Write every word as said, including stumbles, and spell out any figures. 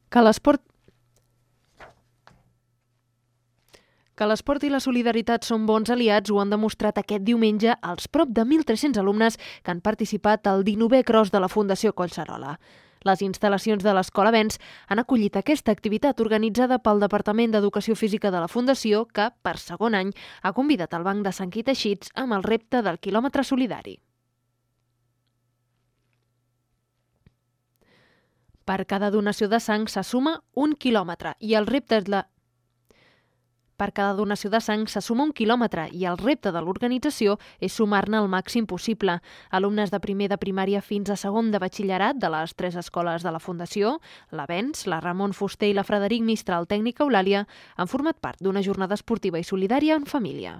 Que l'esport Que l'esport i la solidaritat són bons aliats ho han demostrat aquest diumenge els prop de mil tres-cents alumnes que han participat al dinovè Cross de la Fundació Collserola. Les instal·lacions de l'Escola Vents han acollit aquesta activitat organitzada pel Departament d'Educació Física de la Fundació que, per segon any, ha convidat el Banc de Sang i Teixits amb el repte del quilòmetre solidari. Per cada donació de sang se suma un quilòmetre i el repte és la... Per cada donació de sang se suma un quilòmetre i el repte de l'organització és sumar-ne el màxim possible. Alumnes de primer de primària fins a segon de batxillerat de les tres escoles de la Fundació, la Vents, la Ramon Fuster i la Frederic Mistral Tècnica Eulàlia, han format part d'una jornada esportiva i solidària en família.